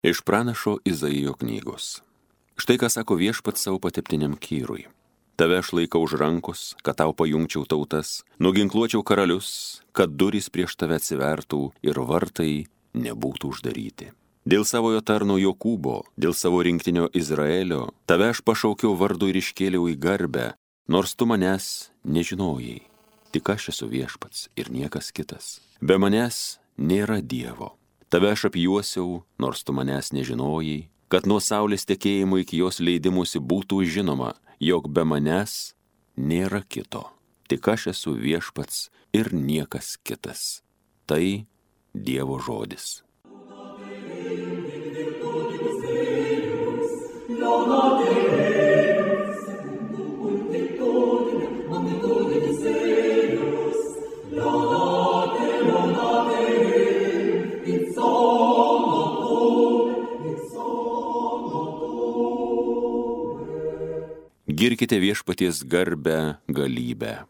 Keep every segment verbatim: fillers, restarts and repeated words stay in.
Iš pranašo Izaijo knygos. Štai ką sako Viešpats savo pateptiniam Kyrui. Tave aš laikau už rankos, kad tau pajungčiau tautas, nuginkluočiau karalius, kad durys prieš tave atsivertų ir vartai nebūtų uždaryti. Dėl savojo tarno Jokūbo, dėl savo rinktinio Izraelio, tave aš pašaukiau vardu ir iškėliau į garbę, nors tu manęs nežinojai. Tik aš esu Viešpats ir niekas kitas. Be manęs nėra Dievo. Tave aš apjuosiau, nors tu manęs nežinojai, kad nuo saulės tekėjimo iki jos leidimusi būtų žinoma, jog be manęs nėra kito. Tik aš esu Viešpats ir niekas kitas. Tai Dievo žodis. Girkite Viešpaties garbę, galybę.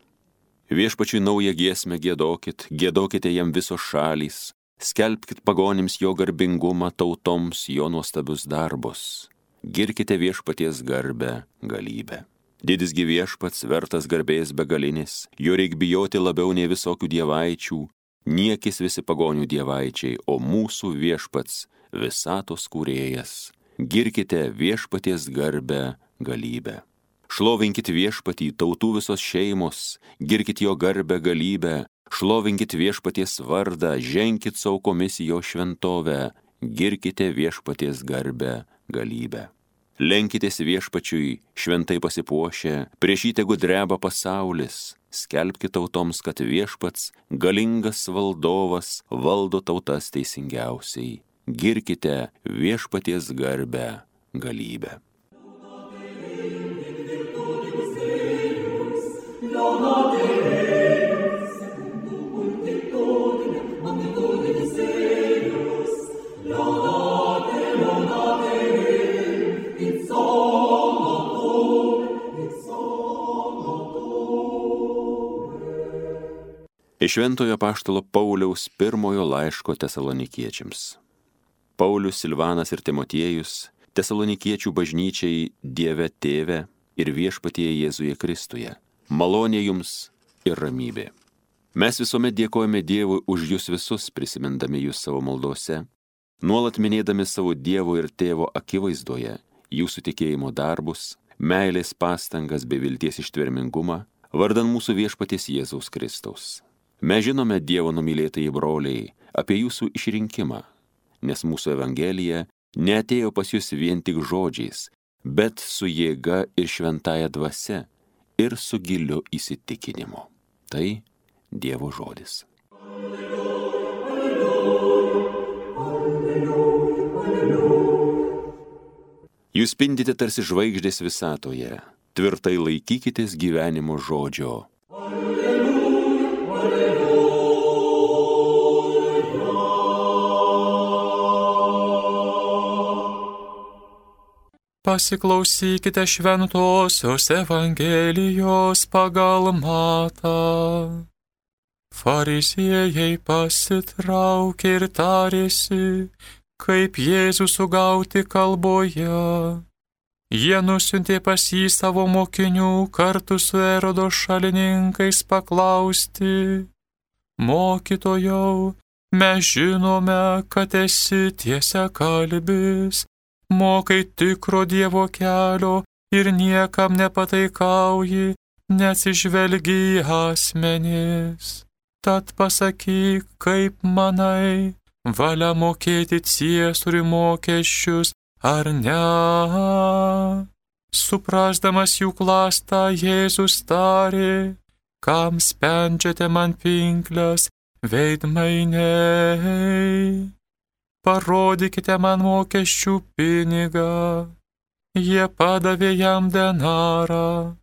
Viešpačiui naują giesmę giedokit, giedokite jam visos šalys, skelbkit pagonims jo garbingumą, tautoms jo nuostabius darbus. Girkite Viešpaties garbę, galybę. Didisgi Viešpats, vertas garbės begalinis, jo reik bijoti labiau nei visokių dievaičių, niekis visi pagonių dievaičiai, o mūsų Viešpats, visatos kūrėjas. Girkite Viešpaties garbę, galybę. Šlovinkit Viešpatį, tautų visos šeimos, girkit jo garbę, galybę, šlovinkit Viešpaties vardą, ženkit saukomis jo šventovę, girkite Viešpaties garbę, galybę. Lenkitės Viešpačiui, šventai pasipuošę, prieš jį tegu dreba pasaulis, skelbkit tautoms, kad Viešpats, galingas valdovas, valdo tautas teisingiausiai, girkite Viešpaties garbę, galybę. Iš Šventojo apaštalo Pauliaus pirmojo laiško Tesalonikiečiams. Paulius, Silvanas ir Timotiejus, Tesalonikiečių bažnyčiai Dieve Tėve ir Viešpatyje Jėzuje Kristuje. Malonė jums ir ramybė. Mes visuomet dėkojame Dievui už jūs visus, prisimindami jūs savo maldose, nuolat minėdami savo Dievo ir Tėvo akivaizdoje, jūsų tikėjimo darbus, meilės pastangas bei vilties ištvermingumą, vardan mūsų Viešpaties Jėzaus Kristaus. Mes žinome, Dievo numylėtieji broliai, apie jūsų išrinkimą, nes mūsų evangelija neatėjo pas jūs vien tik žodžiais, bet su jėga ir šventąja dvasia ir su giliu įsitikinimu. Tai Dievo žodis. Jūs spindite tarsi žvaigždės visatoje, tvirtai laikykitės gyvenimo žodžio. Pasiklausykite šventosios Evangelijos pagal Matą. Fariziejai pasitraukė ir tarėsi, kaip Jėzų sugauti kalboje. Jie nusiuntė pas jį savo mokinių kartu su Erodo šalininkais paklausti: Mokytojau, mes žinome, kad esi tiesiakalbis, mokai tikro Dievo kelio ir niekam nepataikauji, neatsižvelgi į asmenis. Tad pasakyk, kaip manai, valia mokėti ciesoriui mokesčius ar ne? Suprasdamas jų klastą, Jėzus tarė: kam spendžiate man pinkles, veidmainiai? Parodykite man mokesčių pinigą. Jie padavė jam denarą.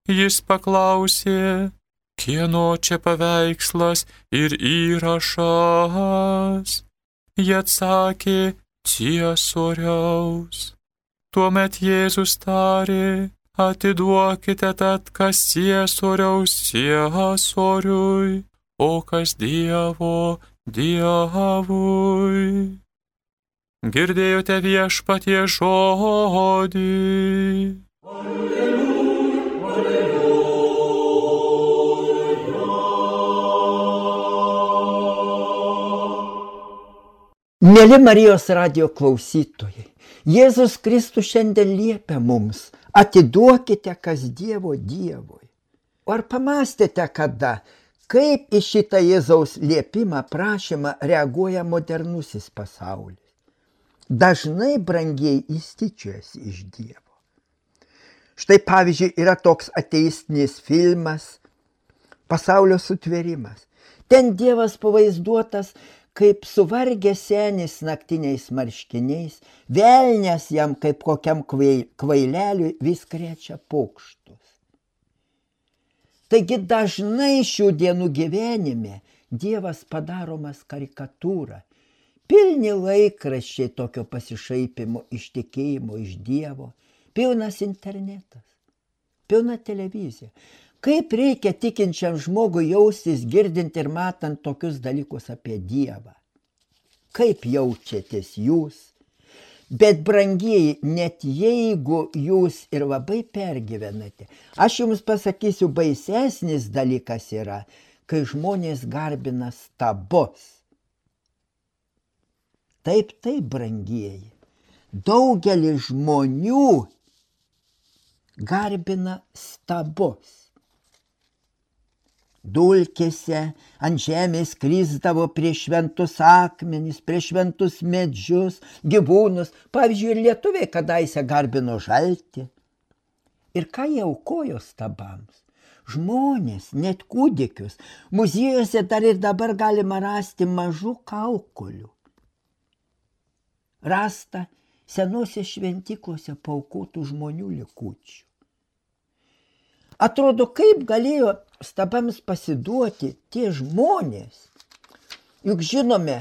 Jis paklausė: kieno čia paveikslas ir įrašas? Jie atsakė: ciesoriaus. Tuomet Jėzus tarė: atiduokite tad kas ciesoriaus ciesoriui, o kas Dievo Dievui. Girdėjote Viešpatie žodį. Mėly Marijos radijo klausytojai, Jėzus Kristus šiandien liepia mums, atiduokite kas Dievo Dievui. Ar pamastėte kada, kaip į šitą Jėzaus liepimą, prašymą reaguoja modernusis pasaulis? Dažnai, brangieji, jis tyčiojasi iš Dievo. Štai pavyzdžiui, yra toks ateistinis filmas Pasaulio sutvėrimas. Ten Dievas pavaizduotas kaip suvargęs senis naktiniais marškiniais, velnias jam kaip kokiam kvaileliui vis krečia pokštus. Taigi dažnai šių dienų gyvenime Dievas padaromas karikatūra, pilni laikraščiai tokio pasišaipimo, iš tikėjimo, iš Dievo, pilnas internetas, pilna televizija. Kaip reikia tikinčiam žmogui jaustis, girdint ir matant tokius dalykus apie Dievą? Kaip jaučiatės jūs? Bet, brangieji, net jeigu jūs ir labai pergyvenate, aš jums pasakysiu, baisesnis dalykas yra, kai žmonės garbina stabus. Taip, taip, brangieji, daugelis žmonių garbina stabus. Dulkėse ant žemės krisdavo prie šventus akmenis, prie šventus medžius, gyvūnus. Pavyzdžiui, ir lietuviai kadaise garbino žaltį. Ir ką jie aukojo stabams? Žmonės, net kūdikius. Muziejuose dar ir dabar galima rasti mažų kaukulių. Rasta senose šventyklose paaukotų žmonių likučių. Atrodo, kaip galėjo stabams pasiduoti tie žmonės. Juk žinome,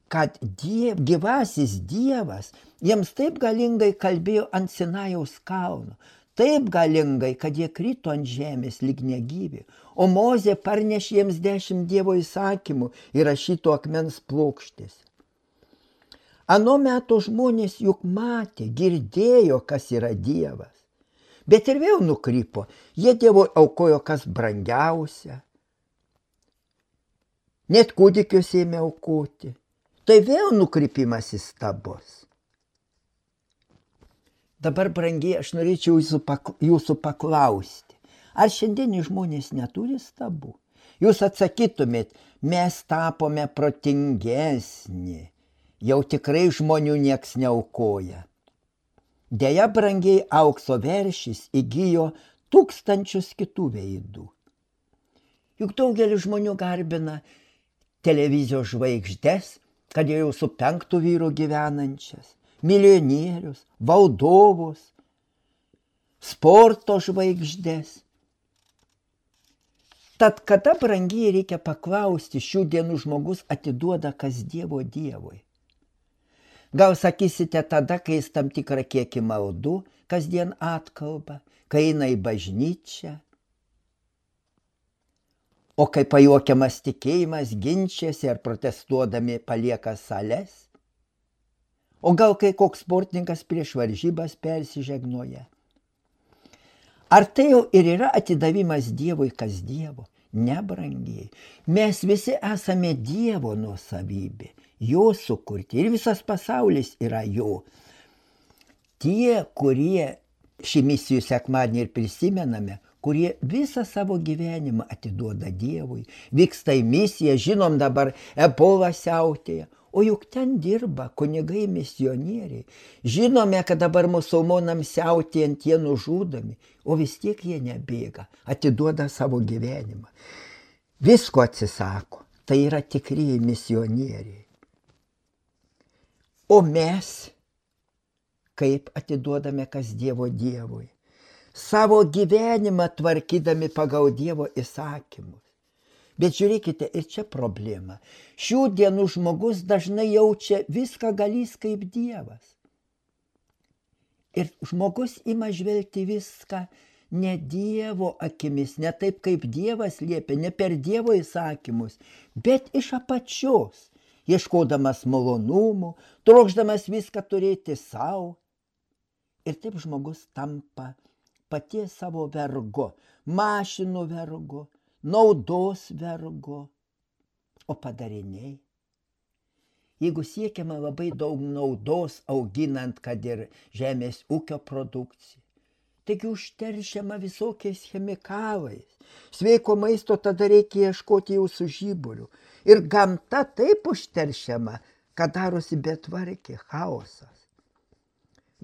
kad diev, gyvasis Dievas jiems taip galingai kalbėjo ant Sinajaus kalno, taip galingai, kad jie krito ant žemės lyg negyvi, o Mozė parnešė jiems dešimt Dievo įsakymų įrašytų akmens plokštėse. Ano meto žmonės juk matė, girdėjo, kas yra Dievas. Bet ir vėl nukrypo, jie Dievui aukojo kas brangiausia. Net kūdikius ėmė aukoti. Tai vėl nukrypimas į stabus. Dabar, brangiai, aš norėčiau jūsų, pakla, jūsų paklausti, ar šiandienį žmonės neturi stabų? Jūs atsakytumėt, mes tapome protingesni, jau tikrai žmonių nieks neaukoja. Deja, brangiai, aukso veršis įgijo tūkstančius kitų veidų. Juk daugelis žmonių garbina televizijos žvaigždes, kad jau su penktu vyru gyvenančias, milijonierius, valdovus, sporto žvaigždes. Tad kada, brangiai, reikia paklausti, šių dienų žmogus atiduoda kas Dievo Dievui? Gal sakysite tada, kai jis tam tikrą kiekį maldų kasdien atkalba, kai eina į bažnyčią, o kai pajuokiamas tikėjimas ginčiasi ar protestuodami palieka sales, o gal kai koks sportininkas prieš varžybas persižegnoja. Ar tai jau ir yra atidavimas Dievui kas Dievo? Ne, brangiai, mes visi esame Dievo nuosavybė, jo sukurti ir visas pasaulis yra jo. Tie, kurie šį misijų sekmadienį ir prisimename, kurie visą savo gyvenimą atiduoda Dievui, vyksta į misiją, žinom dabar ebola siautėja, o juk ten dirba kunigai misionieriai. Žinome, kad dabar musulmonams siautėjant jie nužudomi, o vis tiek jie nebėga, atiduoda savo gyvenimą. Visko atsisako, tai yra tikrieji misionieriai. O mes, kaip atiduodame kas Dievo Dievui, savo gyvenimą tvarkydami pagal Dievo įsakymus. Bet žiūrėkite, ir čia problema. Šių dienų žmogus dažnai jaučia viską galys kaip Dievas. Ir žmogus ima žvelgti viską ne Dievo akimis, ne taip kaip Dievas liepia, ne per Dievo įsakymus, bet iš apačios. ieškodamas malonumų, trokšdamas viską turėti savo. Ir taip žmogus tampa paties savo vergu, mašinų vergu, naudos vergu, o padariniai. Jeigu siekiama labai daug naudos auginant, kad ir žemės ūkio produkciją, taigi užteršiama visokiais chemikalais. Sveiko maisto tada reikia ieškoti jau su žiburiu. Ir gamta taip užteršiama, kad darosi betvarkė, chaosas.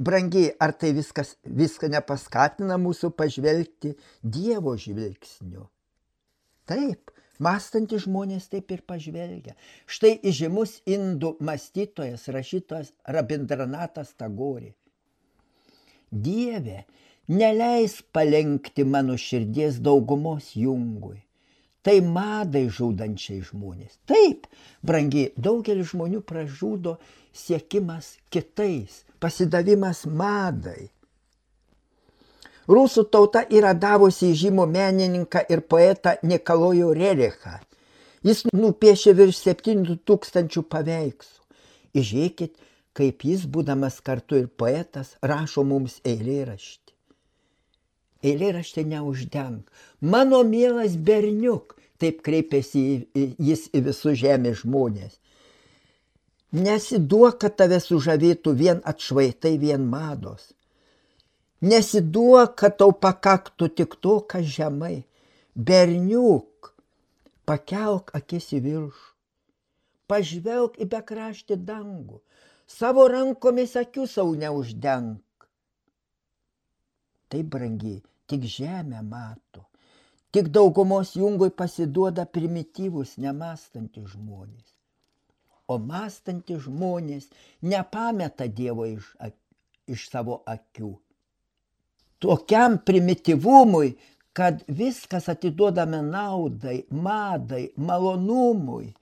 Brangiai, ar tai viskas, viską nepaskatina mūsų pažvelgti Dievo žvilgsniu? Taip, mąstantys žmonės taip ir pažvelgia. Štai įžymus indų mąstytojas, rašytojas Rabindranatas Tagore. Dieve, neleis palenkti mano širdies daugumos jungui. Tai madai žudančiai žmonės. Taip, brangiai, daugelis žmonių pražudo siekimas kitais, pasidavimas madai. Rusų tauta yra davusi žymų menininką ir poetą Nikolajų Rerichą. Jis nupiešė virš septynių tūkstančių paveikslų. Įžiūrėkit, kaip jis, būdamas kartu ir poetas, rašo mums eilėraštį. Eilėraštį neuždenk. Mano mielas berniuk, taip kreipėsi jis į visus žemės žmonės. Nesiduok, kad tave sužavėtų vien atšvaitai, vien mados. Nesiduok, kad tau pakaktų tik to, kas žemai. Berniuk, pakelk akis į viršų. Pažvelk į bekraštį dangų. Savo rankomis akių savo neuždenk. Tai brangiai, tik žemę mato. Tik daugumos jungui pasiduoda primityvus, nemąstantys žmonės. O mąstantys žmonės nepameta Dievo iš, iš savo akių. Tokiam primityvumui, kad viskas atiduodame naudai, madai, malonumui,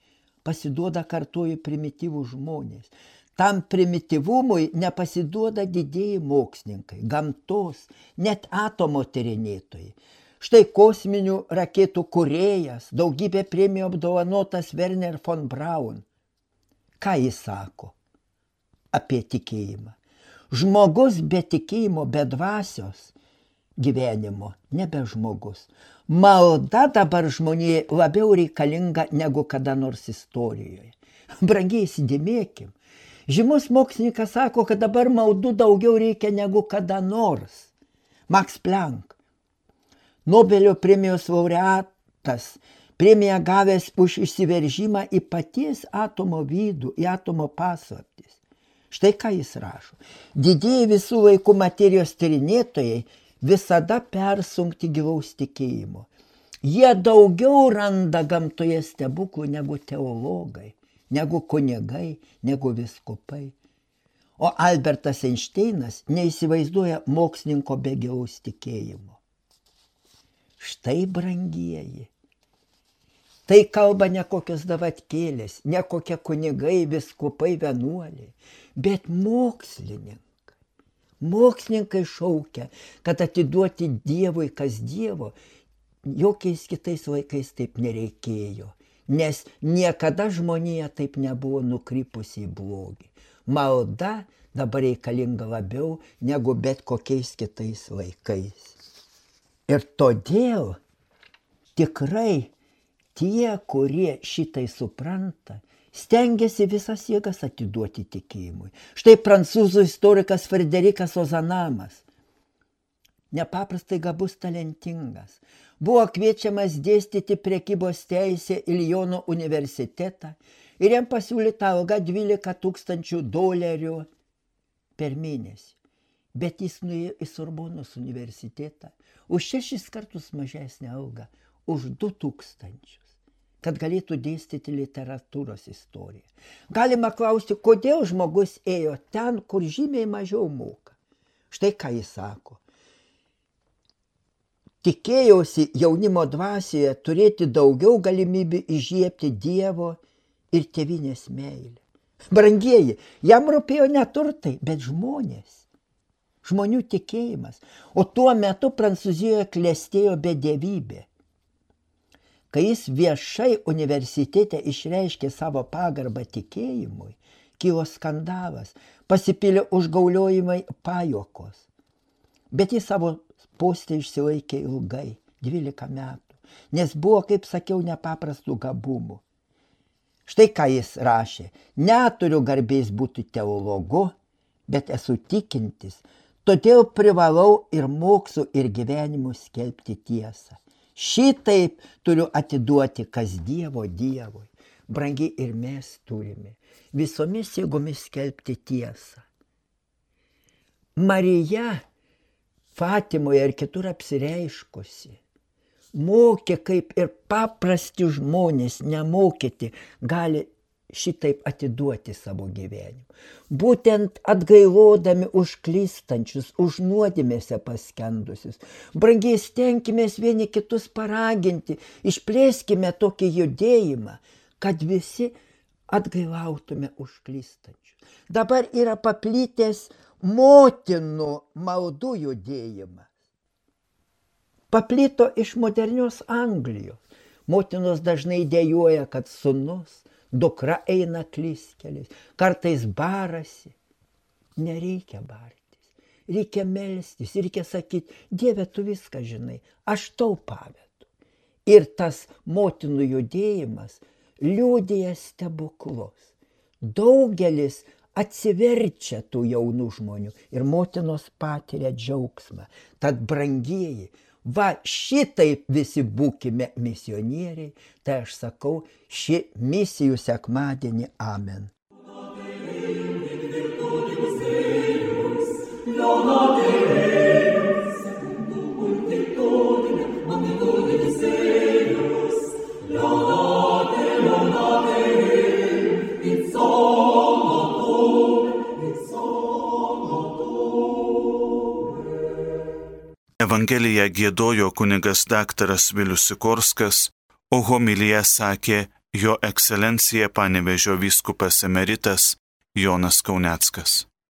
pasiduoda kartuoju primityvų žmonės. Tam primityvumui nepasiduoda didieji mokslininkai, gamtos, net atomo tyrinėtojai. Štai kosminių raketų kūrėjas, daugybė premijų apdovanotas Werner von Braun. Ką jis sako apie tikėjimą? Žmogus be tikėjimo, be dvasios gyvenimo, nebe žmogus. Malda dabar žmonėje labiau reikalinga negu kada nors istorijoje. Brangiai, įsidėmėkim. Žymus mokslininkas sako, kad dabar maldų daugiau reikia negu kada nors. Max Planck, Nobelio premijos laureatas, premiją gavęs už išsiveržimą į paties atomo vidų, į atomo paslaptis. Štai ką jis rašo. Didieji visų laikų materijos tyrinėtojai visada persunkti gilaus tikėjimo. Jie daugiau randa gamtoje stebuklų negu teologai, negu kunigai, negu vyskupai. O Albertas Einšteinas neįsivaizduoja mokslininko be gilaus tikėjimo. Štai, brangieji, tai kalba ne kokios davatkėlės, ne kokie kunigai, vyskupai, vienuoliai, bet mokslininkai. Mokslininkai šaukia, kad atiduoti Dievui kas Dievo, jokiais kitais laikais taip nereikėjo. Nes niekada žmonija taip nebuvo nukrypusi į blogį. Malda dabar reikalinga labiau negu bet kokiais kitais laikais. Ir todėl tikrai tie, kurie šitai supranta, stengiasi visas jėgas atiduoti tikėjimui. Štai prancūzų istorikas Frederikas Ozanamas, nepaprastai gabus, talentingas, buvo kviečiamas dėstyti prekybos teisę į Liono universitetą ir jam pasiūlyta alga dvylika tūkstančių dolerių per mėnesį. Bet jis nuėjo į Sorbonos universitetą už šešis kartus mažesnę algą, už du tūkstančius, kad galėtų dėstyti literatūros istoriją. Galima klausti, kodėl žmogus ėjo ten, kur žymiai mažiau moka. Štai ką jis sako. Tikėjausi jaunimo dvasioje turėti daugiau galimybių įžiebti Dievo ir tėvynės meilę. Brangieji, jam rūpėjo ne turtai, bet žmonės. Žmonių tikėjimas. O tuo metu Prancūzijoje klestėjo bedievybė. kai jis viešai universitete išreiškė savo pagarbą tikėjimui, kilo skandalas, pasipylė užgauliojimai, pajuokos. Bet jis savo poste išsilaikė ilgai, dvylika metų, nes buvo, kaip sakiau, nepaprastų gabumų. Štai ką jis rašė: neturiu garbės būti teologu, bet esu tikintis, todėl privalau ir mokslu ir gyvenimu skelbti tiesą. Šitaip turiu atiduoti kas Dievo Dievui. Brangiai, ir mes turime visomis jėgomis skelbti tiesą. Marija Fatimoje ir kitur apsireiškusi mokė, kaip ir paprasti žmonės nemokyti gali šitaip atiduoti savo gyvenimą. Būtent atgailodami už klystančius, už nuodėmėse paskendusius. Brangiai, stenkimės vieni kitus paraginti, išplėskime tokį judėjimą, kad visi atgailautume už klystančius. Dabar yra paplitęs motinų maldų judėjimas. Paplito iš modernios Anglijos. Motinos dažnai dejuoja, kad sūnus, dukra eina klystkeliais, kartais barasi. Nereikia bartis, reikia melstis, reikia sakyti: Dieve, tu viską žinai, aš tau pavedu. Ir tas motinų judėjimas liudija stebuklus. Daugelis atsiverčia tų jaunų žmonių ir motinos patiria džiaugsmą. Tad, brangieji, va šitaip visi būkime misionieriai, tai aš sakau šį misijų sekmadienį. Amen. Evangeliją giedojo kunigas daktaras Vilius Sikorskas, o homiliją sakė jo ekscelencija Panevėžio vyskupas emeritas Jonas Kauneckas.